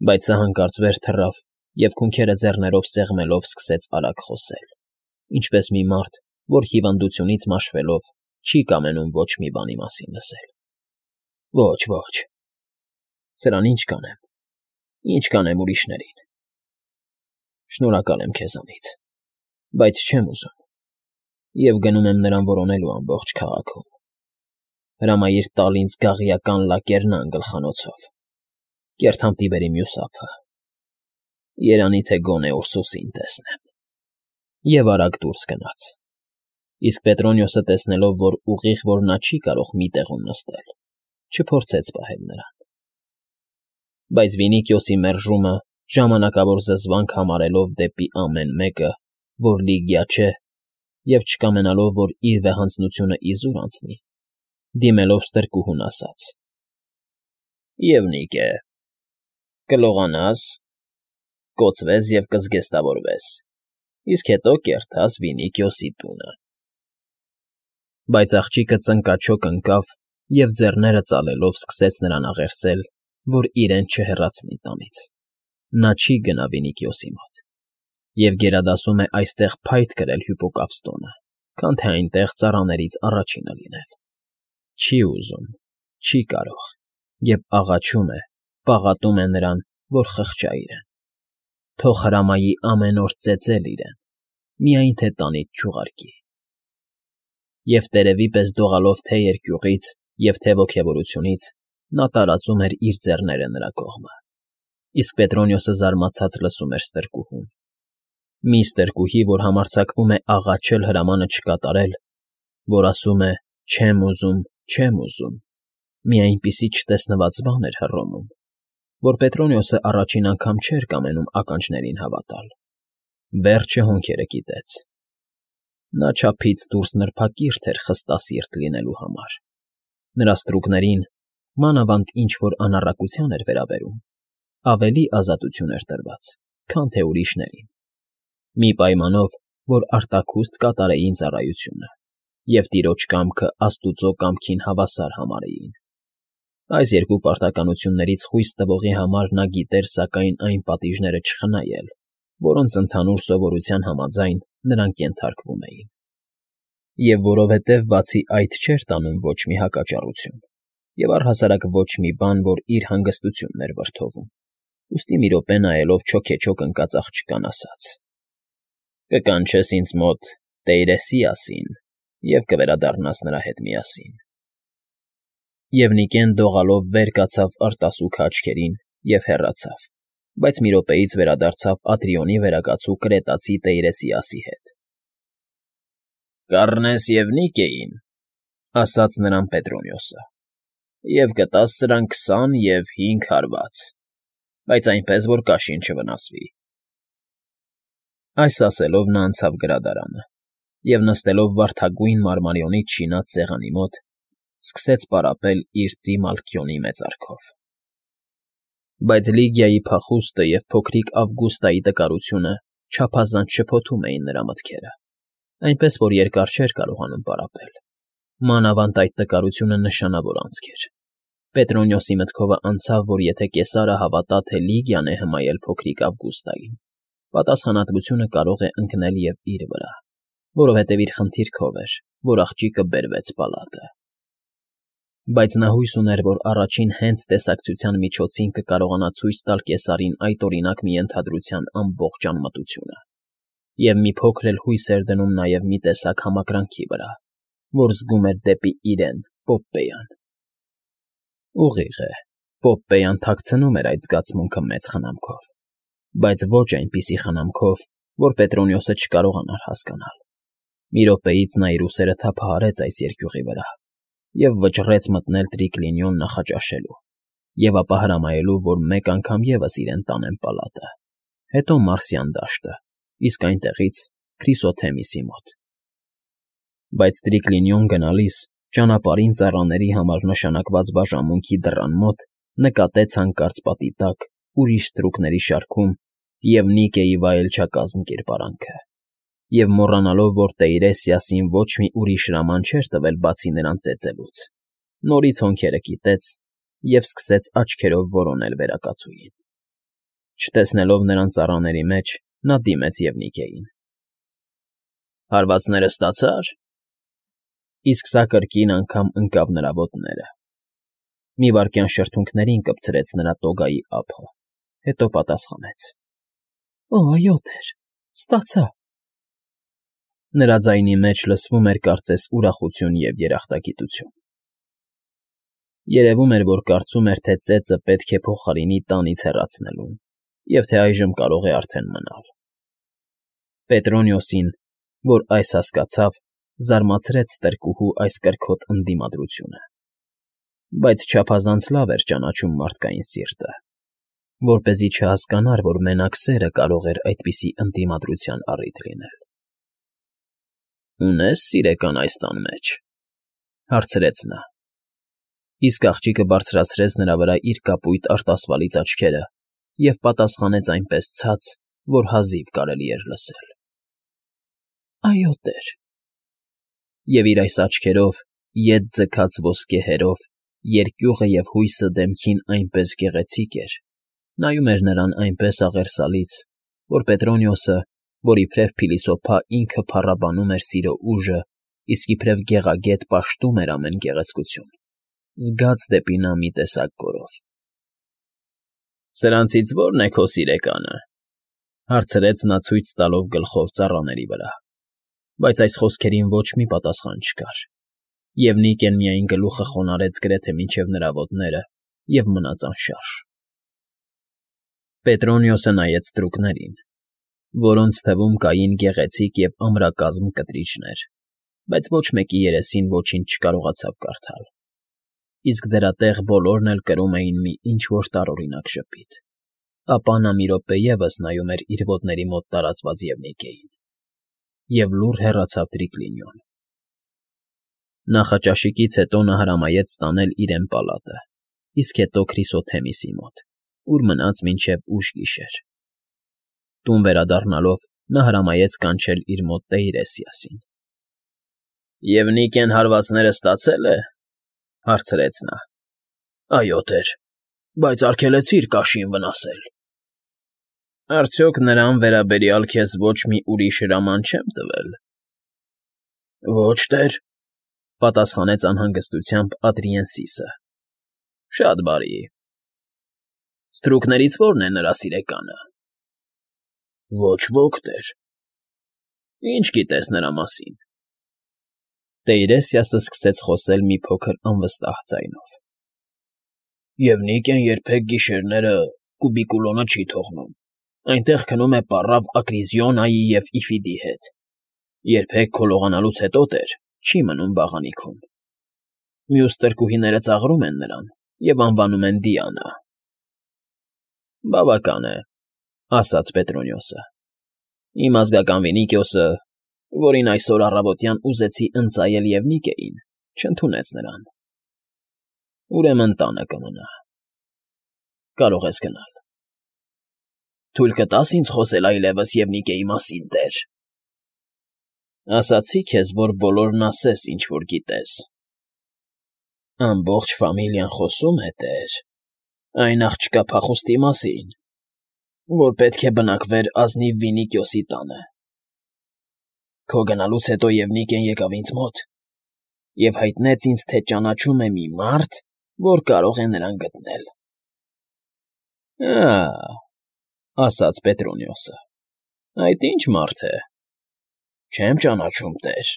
Բայց սա հանկարծ վեր թռավ և քունքերը ձեռներով սեղմելով սկսեց արագ խոսել, ինչպես մի մարդ, որ հիվանդությունից մաշվելով չի կամենում ոչ մի բանի մասին լսել։ Ոչ, սրան ինչ կանեմ ուրիշներին։ Շնորհակալ եմ քեզանից, բայց չեմ ուզում և գնում եմ նրան որոնելու ամբողջ քաղաքում։ Հրամայիր տալ ինձ գաղիական լակերնան գլխանոցով, կեռ թամբի մյուս ափը, երանի թե գոնե Ուրսուսին տեսնեմ։ Եվ արագ դուրս գնաց։ Իսկ Պետրոնիոսը, տեսնելով, որ ուղիղ որ նա չի կարող մի տեղում նստել, չփորձեց պահել նրան։ Բայց Վինիքիոսի մերժումը ժամանակավոր զզվանք համարելով դեպի ամեն մեկը, որ Լիգիա չէ, և չկամենալով, որ իր վեհանձնությունը իզուր անցնի, դիմելով ստրկուհուն ասաց. «Եվնիկե, կլողանաս, կոծվես և կզգեստավորվես, իսկ հետո կերթաս Վինիքիոսի տունը»։ Բայց աղջիկը ծնկաչոք ընկավ և ձեռները ծալելով սկսեց նրան աղերսել, որ իրեն չհեռացնի տանից։ Նա չի գնա Վինիքիոսի մոտ և գերադասում է այստեղ փայտ կրել Հյուպոկավստոնը, քան թե այնտեղ ծառաներից առաջինը լինել։ Չի ուզում, չի կարող և աղաչում է, պաղատում է նրան, որ խղճա իրեն, թող հրամայի ամեն օր ծեծել իրեն, միայն թե տանից չուղարկի։ Եվ տերևի պես դողալով թե՛ երկյուղից և թե՛ ոգևորությունից, նա տարածում էր իր ձեռները նրա կողմը, իսկ Պետրոնիոսը զարմացած լսում էր ստրկուհուն։ Մի ստրկուհի, որ համարձակվում է աղաչել հրամանը չկատարել, որ ասում է չեմ ուզում, մի այնպիսի չտեսնված բան էր հռոմում, որ Պետրոնիոսը առաջին անգամ չէր կամենում ականջներին հավատալ։ Վերջը հոնքերը կիտեց։ Նա չափից դուրս նրբակիրթ էր խստասիրտ լինելու համար։ Նրա ստրուկներին, մանավանդ ինչ որ անառակության էր վերաբերում, ավելի ազատություն էր տրված, քան թե ուրիշներին, մի պայմանով, որ արտաքուստ կատարեին ծառայությունը և տիրոջ կամքը աստուծո կամքին հավասար համարեին։ Այս երկու պարտականություններից խույս տվողի համար նա գիտեր սակայն այն պատիժները չխնայել, որոնց ընդհանուր սովորության համաձայն նրանք ենթարկվում էին։ Եվ որովհետև բացի այդ չէր տանում ոչ մի հակաճառություն, և առհասարակ ոչ մի բան, որ իր հանգստությունն էր վրդովում, ուստի մի րոպե նայելով չոքեչոք ընկած աղջկան ասաց. «Կկանչես ինձ մոտ Տեյրեսիասին և կվերադառնաս նրա հետ միասին»։ Եվ Նիկեն դողալով վեր կացավ արտասուքը աչքերին և հեռացավ, բայց մի րոպեից վերադարձավ Ատրիոնի վերակացու կրետացի Տեյրեսիասի հետ։ «Կառնես Եվնիկեին», ֊ ասաց նրան Պետրոնիոսը, «և կտաս սրան 20 և 5 հարված, բայց այնպես, որ կաշին չվնասվի»։ Այս ասելով նա անցավ գրադարանը և, նստելով վարդագույն մարմարիոնից շինած սեղանի մոտ, սկսեց պարապել իր տրիմալքիոնի մեծարքով։ Բայց Լիգիայի փախուստը և փոքրիկ Ավգուստայի տկարությունը չափազանց շփոթում էին նրա մտքերը, այնպես որ երկար չէր կարողանում պարապել։ Մանավանդ այդ տկարությունը նշանավոր անցք էր։ Պետրոնիոսի մտքովը անցավ, որ եթե կեսարը հավատա, թե Լիգիան է հմայել փոքրիկ Ավգուստային, պատասխանատվությունը կարող է ընկնել և իր վրա, որովհետև իր խնդիրքով էր, որ աղջիկը բերվեց պալատը։ Բայց նա հույս ուներ, որ առաջին հենց տեսակցության միջոցին կկարողանա ցույց տալ կեսարին այդ օրինակ մի ենթադրության ամբողջ անմտությունը, և մի փոքր էլ հույս էր դնում նաև մի տեսակ համակրանքի վրա, որ զգում էր դեպի իրեն՝ Պոպպեյան։ Ուղիղ է, Պոպպեյան թաքցնում էր այդ զգացմունքը մեծ խնամքով, բայց ոչ այնպիսի խնամքով, որ Պետրոնիոսը չկարողանար հասկանալ։ Մի րոպեից նա իր ուսերը թափահարեց այս երկյուղի վրա և վճռեց մտնել տրիկլինիոն նախաճաշելու և ապա հրամայելու, որ մեկ անգամ ևս իրեն տանեն պալատը, հետո Մարսյան դաշտը, իսկ այնտեղից Քրիսոթեմիսի մոտ։ Բայց տրիկլինիոն գնալիս ճանապարհին ծառաների համար նշանակված բաժանմունքի դռան մոտ նկատեց հանկարծ պատի տակ ուրիշ ստրուկների շարքում Եվնիկեի վայելչակազմ կերպարանքը, և մոռանալով, որ Տեյրեսիասին ոչ մի ուրիշ հրաման չէր տվել բացի նրան ծեծելուց, նորից հոնքերը կիտեց և սկսեց աչքերով որոնել վերակացուին։ Չտեսնելով նրան ծառաների մեջ, նա դիմեց Եվնիկեին։ ֊ Հարվածները ստացա՞ր։ Իսկ սա կրկին անգամ ընկավ նրա ոտները։ Մի վայրկյան շրթունքներին կպցրեց նրա տոգայի ափը, հետո պատասխանեց. ֊ Այո, տեր, ստացա։ Նրա ձայնի մեջ լսվում էր կարծես ուրախություն և երախտագիտություն։ Երևում էր, որ կարծում էր, թե ծեծը պետք է փոխարինի տանից հեռացնելուն, և թե այժմ կարող է արդեն մնալ։ Պետրոնիոսին, որ այս հասկացավ, զարմացրեց տրկուհու այս կրքոտ ընդդիմադրությունը, բայց չափազանց լավ էր ճանաչում մարդկային սիրտը, որպեսզի չհասկանար, որ մենակ սերը կարող էր այդպիսի ընդդիմադրության առիթ լինել։ ֊ Ունե՞ս սիրեկան այս տան մեջ,֊ հարցրեց նա։ Իսկ աղջիկը բարձրացրեց նրա վրա իր կապույտ արտասվալից աչքերը և պատասխանեց այնպես ցած, որ հազիվ կարելի էր լսել. ֊ Այո, տեր։ Եվ իր այս աչքերով, ետ ձգած ոսկե հերով, երկյուղը և հույսը դեմքին այնպես գեղեցիկ էր, նայում էր նրան այնպես աղերսալից, որ Պետրոնիոսը, որ իբրև փիլիսոփա ինքը փառաբանում էր սիրո ուժը, իսկ իբրև գեղագետ պաշտում էր ամեն գեղեցկություն, զգաց դեպի նա մի տեսակ գոռով։ ֊ Սրանցից ո՞րն է քո սիրեկանը,֊ հարցրեց նա ցույց տալով գլխով ծառաների վրա, բայց այս խոսքերին ոչ մի պատասխան չկար, և Նիկեն միայն գլուխը խոնարհեց գրեթե մինչև նրա ոտները և մնաց անշարժ։ Պետրոնիոսը նայեց ստրուկներին, որոնց թվում կային գեղեցիկ և ամրակազմ կտրիչներ, բայց ոչ մեկի երեսին ոչինչ չկարողացավ կարդալ, իսկ դրա տեղ բոլորն էլ կրում էին մի ինչ֊որ տարօրինակ ժպիտ, ապա նա մի րոպե ևս նայում էր իր ոտների մոտ տարածված Եվնիկեին և լուռ հեռացավ Տրիկլինիոն։ Նախաճաշիկից հետո նա հրամայեց տանել իրեն պալատը, իսկ հետո Քրիսոթեմիսի մոտ, ուր մնաց մինչև ուշ գիշեր։ Տուն վերադառնալով նա հրամայեց կանչել իր մոտ Տեյրեսիասին։ ֊ Եվնիկեն հարվածները ստացե՞լ է,֊ հարցրեց նա։ ֊ Այո, տեր, բայց արգելեցիր կաշին վնասել։ ֊ Արդյոք նրան վերաբերյալ քեզ ոչ մի ուրիշ հրաման չեմ տվել։ ֊ Ոչ, տեր,֊ պատասխանեց անհանգստությամբ Ադրիենսիսը։ ֊ Շատ բարի։ Ստրուկներից ո՞րն է նրա սիրեկանը։ ֊ Ոչ ոք, տեր։ ֊ Ի՞նչ գիտես նրա մասին։ Տեյրեսիասը սկսեց խոսել մի փոքր անվստահ ձայնով։ ֊ Եվնիկեն երբեք գիշերները կուբիկուլոնը չի թողնում, այնտեղ քնում է պառավ Ակրիզիոնայի և Իֆիդի հետ, երբեք քոլողանալուց հետո, տեր, չի մնում բաղանիքում։ Մյուս տրկուհիները ծաղրում են նրան և անվանում են Դիանա։ ֊ Բավական է,֊ ասաց Պետրոնիոսը։ Իմ ազգական Վինիկիոսը, որին այսօր առավոտյան ուզեցի ընծայել Եվնիկեին, չընդունեց նրան։ Ուրեմն տանը կմնա։ Կարող ես գնալ։ ֊ Թույլ կտա՞ս ինձ խոսել այլևս Եվնիկեի մասին, տեր։ ֊ Ասացի քեզ, որ բոլորն ասես, ինչ որ գիտես։ ֊ Ամբողջ ֆամիլիան խոսում է, տեր, այն աղջկա փախուստի մասին, որ պետք է բնակվեր ազնիվ Վինիկիոսի տանը։ Քո գնալուց հետո Եվնիկեն եկավ ինձ մոտ և հայտնեց ինձ, թե ճանաչում է մի մարդ, որ կարող է նրան գտնել։ ֊ Ա՜, ֊ ասաց Պետրոնիոսը, ֊ այդ ի՞նչ մարդ է։ ֊ Չեմ ճանաչում, տեր,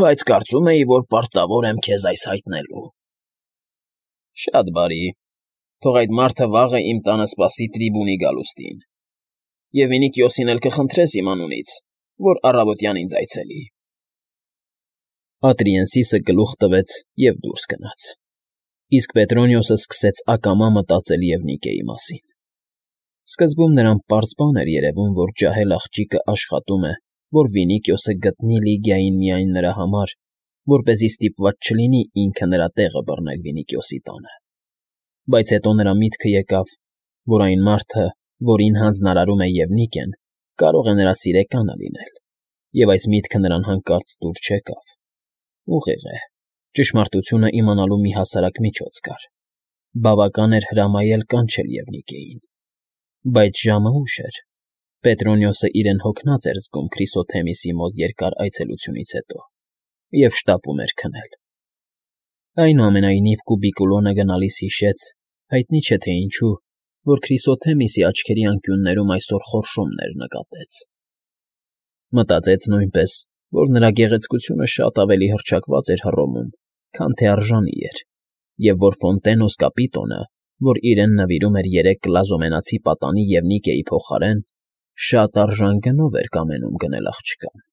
բայց կարծում էի, որ պարտավոր եմ քեզ այս հայտնելու։ ֊ Շատ բարի, թող այդ մարդը վաղը իմ տանը սպասի տրիբունի գալուստին, և Վինիկիոսին էլ կխնդրես իմ անունից, որ առավոտյան ինձ այցելի։ Ադրիենսիսը գլուխ տվեց և դուրս գնաց, իսկ Պետրոնիոսը սկսեց ակամա մտածել Եվնիկեի մասին։ Սկզբում նրան պարզ բան էր երևում, որ ջահել աղջիկը աշխատում է, որ Վինիկիոսը գտնի Լիգիային միայն նրա համար, որպեսզի ստիպված չլինի ինքը նրա տեղը բռնել Վինիկիոսի տանը։ Բայց հետո նրա միտքը եկավ, որ այն մարդը, որին հանձնարարում է Եվնիկեն, կարող է նրա սիրեկանը լինել, և այս միտքը նրան հանկարծ դուր չեկավ։ Ուղիղ է, ճշմարտությունը իմանալու մի հասարակ միջոց կար. բավական էր հրամայել կանչել Եվնիկեին։ Բայց ժամը ուշ էր։ Պետրոնիոսը իրեն հոգնած էր զգում Քրիսոթեմիսի մոտ երկար այցելությունից հետո և շտապում էր քնել։ Այնուամենայնիվ Կուբիկուլոնը գնալիս հիշեց, հայտնի չէ թե ինչու, որ Քրիսոթեմիսի աչքերի անկյուններում այսօր խորշումներ նկատեց։ Մտածեց նույնպես, որ նրա գեղեցկությունը շատ ավելի հռչակված էր Հռոմում, քան թե արժանի էր, և որ Ֆոնտենոս կապիտոնը, որ իրեն նվիրում էր 3 կլազոմենացի պատանի և Նիկեի փոխարեն, շատ արժան գնով էր կամենում գնել աղջկան։